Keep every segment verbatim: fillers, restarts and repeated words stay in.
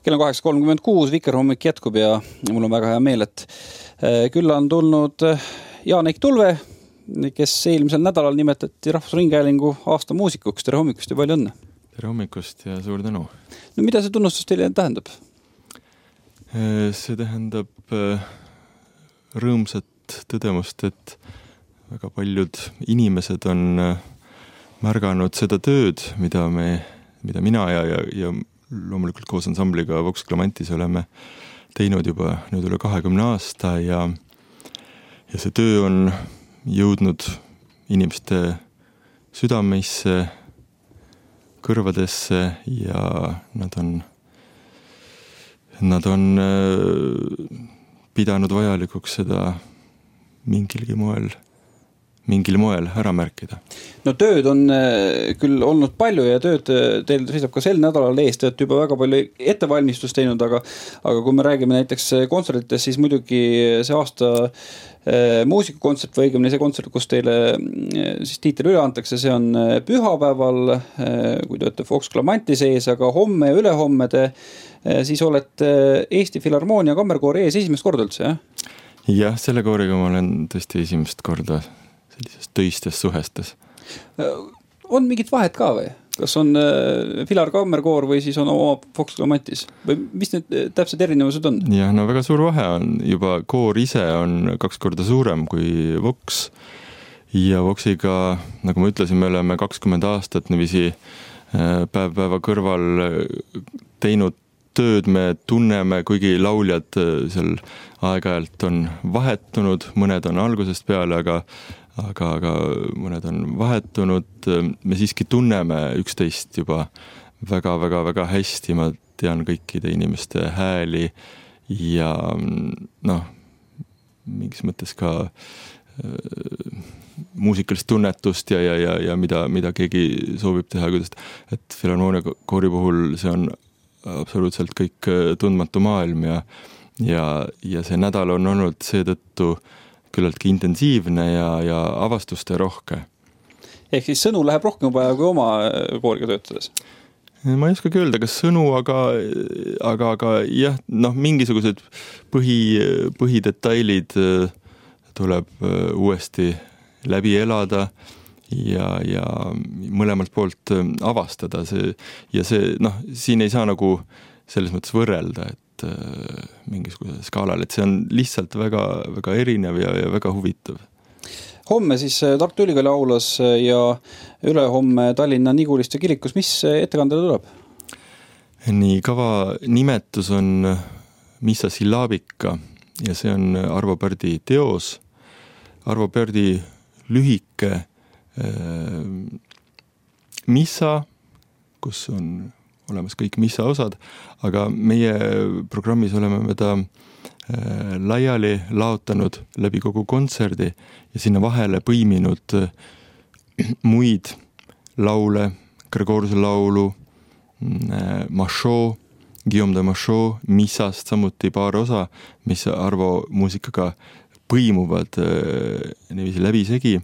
Kell on kaheksa kolmkümmend kuus, Vikerhommik jätkub ja mul on väga hea meel, et külla on tulnud Jaanek Tulve, kes eelmisel nädalal nimetati Rahvusringhäälingu aasta muusikuks. Tere hommikust ja palju õnne. Tere hommikust ja suur tänu. No mida see tunnustus teile tähendab? See tähendab rõõmsat tõdemust, et väga paljud inimesed on märganud seda tööd, mida, me, mida mina ja, ja, ja loomulikult koos ansambliga Vox Clamantis oleme teinud juba nüüd üle kahekümne aasta ja, ja see töö on jõudnud inimeste südameisse, kõrvadesse ja nad on, nad on pidanud vajalikuks seda mingilgi moel mingil moel ära märkida. No tööd on küll olnud palju ja tööd teil seisab ka sel nädalal ees, te olete juba väga palju ettevalmistust teinud, aga, aga kui me räägime näiteks kontsertidest, siis muidugi see aasta äh, muusikukontsert või õigemini see kontsert, kus teile äh, siis tiitel üle antakse, see on pühapäeval, äh, kui te olete Vox Clamanti sees, aga homme ja ülehomme te äh, siis olete Eesti Filharmoonia kammerkoori ees esimest korda üldse, jah? Jah, selle kooriga ma olen tõesti esimest korda sellises töistes suhestes. On mingit vahet ka või? Kas on Filar kammerkoor või siis on oma Vox Clamantis? Või mis need täpsed erinevused on? Jah, no väga suur vahe on. Juba koor ise on kaks korda suurem kui Vox. Ja Voxiga, nagu ma ütlesin, me oleme kakskümmend aastat niiviisi päev päeva kõrval teinud tööd, me tunneme, kuigi lauljad seal aeg-ajalt on vahetunud, mõned on algusest peale, aga aga, aga mõned on vahetunud, me siiski tunneme üksteist juba väga, väga, väga hästi, ma tean kõikide inimeste hääli ja noh, mingis mõttes ka äh, muusikalist tunnetust ja, ja, ja, ja mida, mida keegi soovib teha, kuidas, et Filharmoonia koori puhul see on absoluutselt kõik tundmatu maailm ja, ja, ja see nädal on olnud seetõttu küllalt intensiivne ja, ja avastuste rohke. Ehk siis sõnu läheb rohkem vaja kui oma kooriga töötades? Ma ei oskagi öelda, kas sõnu, aga, aga, aga jah, noh, mingisugused põhi, põhidetailid tuleb uuesti läbi elada ja, ja mõlemalt poolt avastada. See, ja see, noh, siin ei saa nagu selles mõttes võrrelda, et mingisuguse skaalal, et see on lihtsalt väga, väga erinev ja, ja väga huvitav. Homme siis Tartu Ülikooli aulas ja ülehomme Tallinna Niguliste kirikus. Mis ettekandele tuleb? Nii, kava nimetus on Missa Syllabika ja see on Arvo Pärdi teos. Arvo Pärdi lühike äh, missa, kus on olemas kõik missa osad, aga meie programmis oleme me ta äh, laiali laotanud läbi kogu kontserdi ja sinna vahele põiminud äh, muid laule, Gregoruse laulu, äh, Machot, Guillaume de Machot, missast samuti paar osa, mis Arvo muusikaga põimuvad äh, niiviisi läbisegi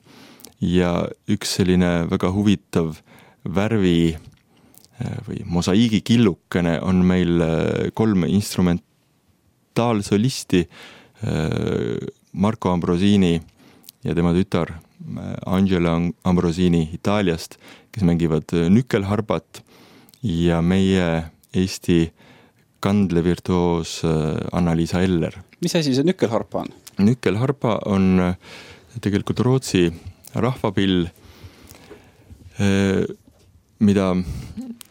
ja üks selline väga huvitav värvi või mosaiigi killukene on meil kolm instrumentaalsolisti, Marco Ambrosini ja tema tütar Angela Ambrosini Itaaliast, kes mängivad nükkelharpat ja meie Eesti kandlevirtuoos Anna-Liisa Eller. Mis asi see nükkelharpa on? Nükkelharpa on tegelikult Rootsi rahvapill, mida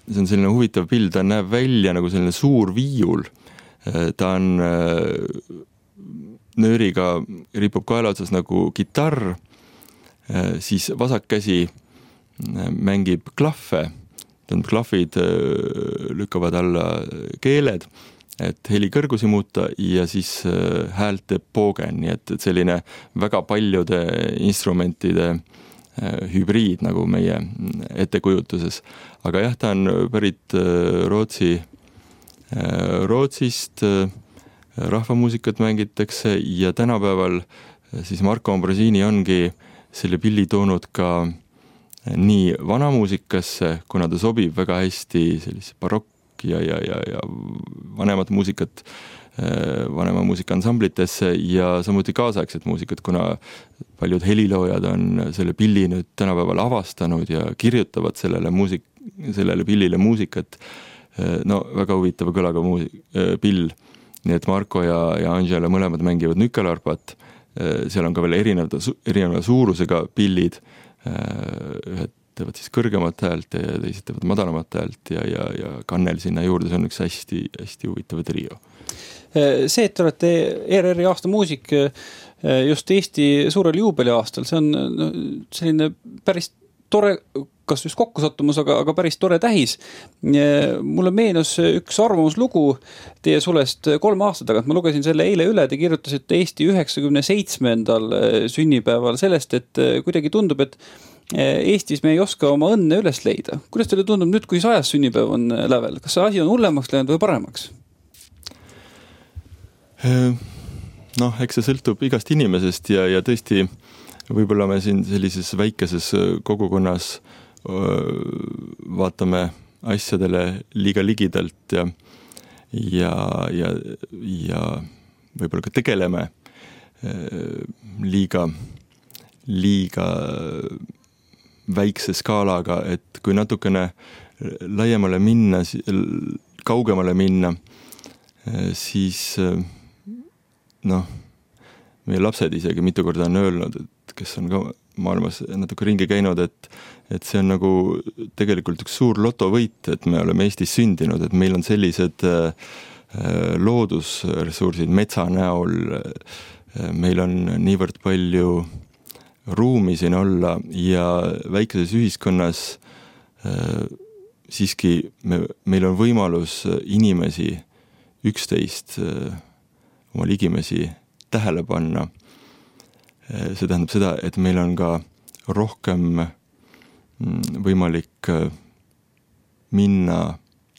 see on selline huvitav pill, ta näeb välja nagu selline suur viiul. Ta on nööriga, ripub kaela otsas nagu kitarr, siis vasak käsi mängib klahve, klahvid lükkavad alla keeled, et heli kõrgusi muuta ja siis häält teeb poogen, nii et selline väga paljude instrumentide hübriid nagu meie ettekujutuses. Aga jah, ta on pärit Rootsi, Rootsist, rahvamuusikat mängitakse ja tänapäeval siis Marco Ambrosini ongi selle pilli toonud ka nii vanamuusikasse, kuna ta sobib väga hästi sellise barokk ja, ja, ja, ja vanemat muusikat vanema muusikaansamblitesse ja samuti kaasaegset muusikat, kuna paljud heliloojad on selle pilli nüüd tänapäeval avastanud ja kirjutavad sellele, muusik, sellele pillile muusikat. No väga huvitava kõlaga muusik, pill. Nii et Marko ja, ja Angela mõlemad mängivad nükelarpat. Seal on ka veel erineva, erineva suurusega pillid. Ühed teevad siis kõrgemat häält ja teised teevad madalamat häält ja, ja, ja Kannel sinna juurde. See on üks hästi, hästi huvitav trio. See, et te olete E R R-i aasta muusik just Eesti suurel juubeli aastal, see on selline päris tore, kas just kokkusattumus, aga, aga päris tore tähis. Mulle meenus üks arvamuslugu teie sulest kolme aasta tagant. Ma lugesin selle eile üle, te kirjutasite Eesti üheksakümne seitsmendal sünnipäeval sellest, et kuidagi tundub, et Eestis me ei oska oma õnne üles leida. Kuidas teile tundub nüüd, kui sajas sünnipäev on lävel? Kas see asi on hullemaks läinud või paremaks? Noh, eks see sõltub igast inimesest ja, ja tõesti võib-olla me siin sellises väikeses kogukonnas vaatame asjadele liiga ligidalt ja, ja, ja, ja võib-olla ka tegeleme liiga, liiga väikse skaalaga, et kui natukene laiemale minna, kaugemale minna, siis noh, meie lapsed isegi mitu korda on öelnud, et kes on ka maailmas natuke ringi käinud, et, et see on nagu tegelikult üks suur lotovõit, et me oleme Eestis sündinud, et meil on sellised loodusressursid metsa näol, meil on niivõrd palju ruumi siin olla ja väikeses ühiskonnas siiski me, meil on võimalus inimesi üksteist oma ligimesi tähele panna. See tähendab seda, et meil on ka rohkem võimalik minna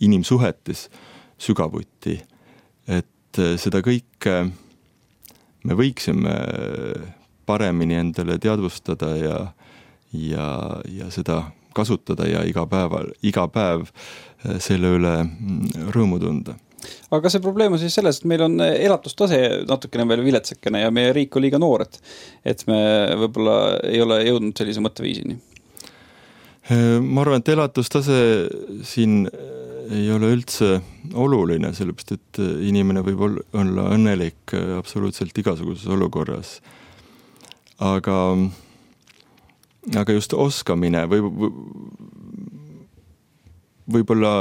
inimsuhetes sügavuti, et seda kõike me võiksime paremini endale teadvustada ja, ja, ja seda kasutada ja iga päeval, iga päev selle üle rõõmu tunda. Aga see probleem on siis selles, et meil on elatustase natukene veel viletsekene ja meie riik on liiga noor, et, et me võib-olla ei ole jõudnud sellise mõtteviisini. Ma arvan, et elatustase siin ei ole üldse oluline, sellepärast, et inimene võib olla õnnelik absoluutselt igasuguses olukorras. Aga, aga just oskamine või, võib-olla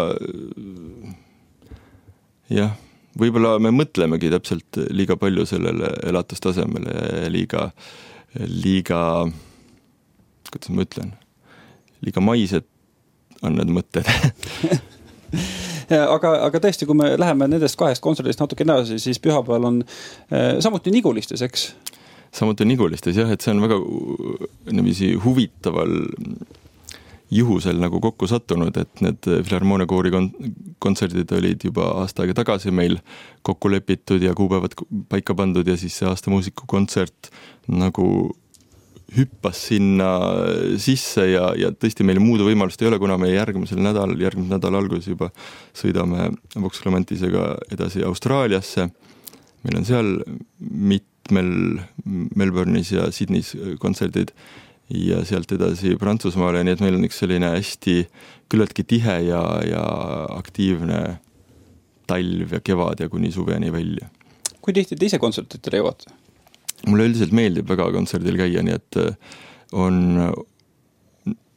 jah, võib-olla me mõtlemegi täpselt liiga palju sellele elatustasemele ja liiga, liiga, kuidas ma ütlen, liiga maised on need mõtted. aga, aga tõesti, kui me läheme nendest kahest kontserdist natuke edasi, siis pühapäeval on äh, samuti Nigulistes, eks? Samuti Nigulistes, jah, et see on väga niiviisi huvitaval juhusel nagu kokku sattunud, et need Filharmoonia koori kontserdid olid juba aasta aega tagasi meil kokku lepitud ja kuupäevad paika pandud ja siis see aasta muusiku kontsert nagu hüppas sinna sisse ja, ja tõesti meil muudu võimalust ei ole, kuna me järgmisel nädal, järgmisel nädal alguses juba sõidame Vox Clementisega edasi Austraaliasse. Meil on seal mitmel Melbourne'is ja Sydneys kontserdid ja sealt edasi Prantsusmaale, nii et meil on üks selline hästi küllaltki tihe ja, ja aktiivne talv ja kevad ja kuni suveni välja. Kui tihti te ise kontsertitele jõuate? Mulle üldiselt meeldib väga kontserdil käia, nii et on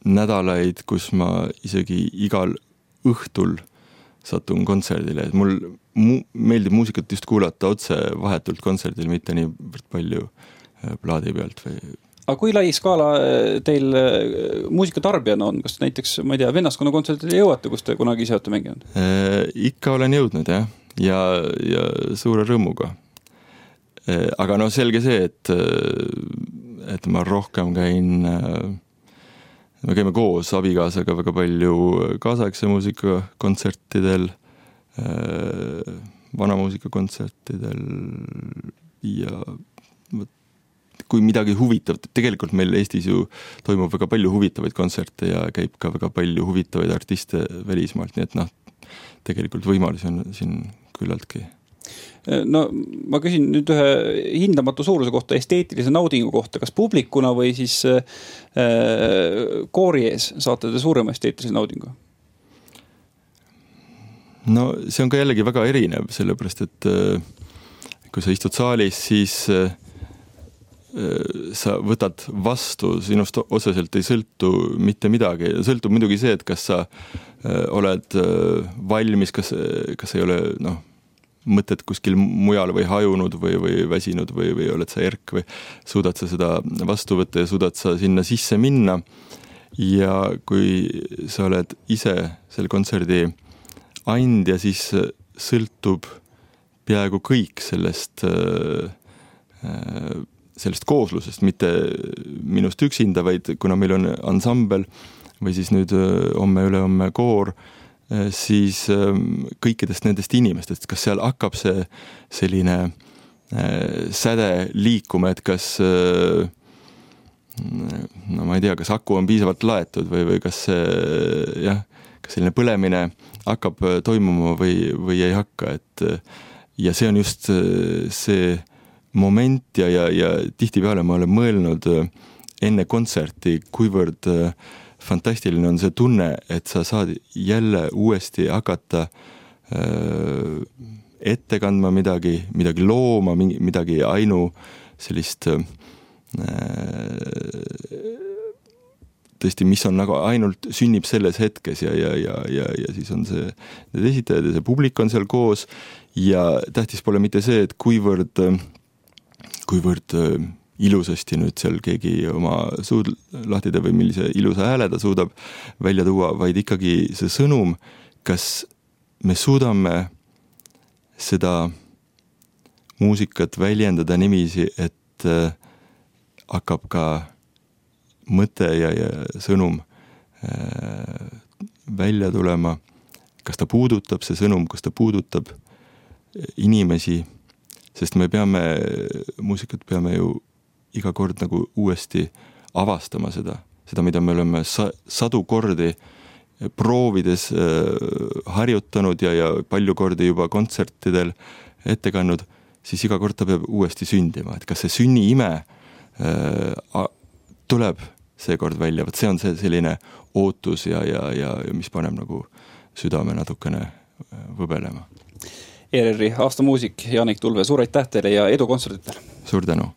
nädalaid, kus ma isegi igal õhtul satun kontserdile, et mul mu- meeldib muusikat just kuulata otse vahetult kontserdil, mitte nii palju plaadi pealt või. Aga kui lai skaala teil muusikatarbijana on? Kas näiteks, ma ei tea, vennaskonna kontserdile jõuate, kus te kunagi ise olete mänginud? Ikka olen jõudnud, jah, ja, ja suure rõõmuga. Aga no selge see, et, et ma rohkem käin, me käime koos abikaasaga väga palju kaasaegse muusika kontsertidel, vana muusika kontsertidel ja kui midagi huvitav, tegelikult meil Eestis ju toimub väga palju huvitavaid kontserte ja käib ka väga palju huvitavaid artiste välismaalt, nii et noh, tegelikult võimalusi on siin küllaltki. No ma küsin nüüd ühe hindamatu suuruse kohta, esteetilise naudingu kohta, kas publikuna või siis äh, koori ees saate te suurema esteetilise naudingu? No see on ka jällegi väga erinev, sellepärast et äh, kui sa istud saalis, siis äh, sa võtad vastu, sinust otseselt ei sõltu mitte midagi. Sõltub muidugi see, et kas sa äh, oled äh, valmis, kas, kas ei ole noh, mõtted kuskil mujal või hajunud või, või väsinud või, või oled sa erk või suudad sa seda vastu võtta ja suudad sa sinna sisse minna. Ja kui sa oled ise selle kontserdi andja, siis sõltub peaaegu kõik sellest, sellest kooslusest, mitte minust üksinda, vaid kuna meil on ansambel või siis nüüd homme üle homme koor, siis kõikidest nendest inimestest, kas seal hakkab see selline säde liikuma, et kas no ma ei tea, kas aku on piisavalt laetud või, või kas jah, kas selline põlemine hakkab toimuma või, või ei hakka, et ja see on just see moment ja, ja, ja tihtipeale ma olen mõelnud enne kontserti, kuivõrd fantastiline on see tunne, et sa saad jälle uuesti hakata äh, ette kandma midagi, midagi looma, midagi ainu sellist äh, tõesti, mis on nagu ainult sünnib selles hetkes ja, ja, ja, ja, ja siis on see need esitajad ja see publik on seal koos ja tähtis pole mitte see, et kuivõrd, kuivõrd ilusasti nüüd seal keegi oma suud lahtide või millise ilusa hääle ta suudab välja tuua, vaid ikkagi see sõnum, kas me suudame seda muusikat väljendada niiviisi, et hakkab ka mõte ja, ja sõnum välja tulema, kas ta puudutab see sõnum, kas ta puudutab inimesi, sest me peame, muusikat peame ju iga kord nagu uuesti avastama seda, seda, mida me oleme sa, sadu kordi proovides äh, harjutanud ja, ja palju kordi juba kontsertidel ette kandnud, siis iga kord ta peab uuesti sündima, et kas see sünniime äh, tuleb seekord välja, võt see on see selline ootus ja, ja, ja mis paneb nagu südame natukene võbelema. E R R-i aastamuusik Janik Tulve, suur aitäh teile ja edu kontserditel! Suur tänu!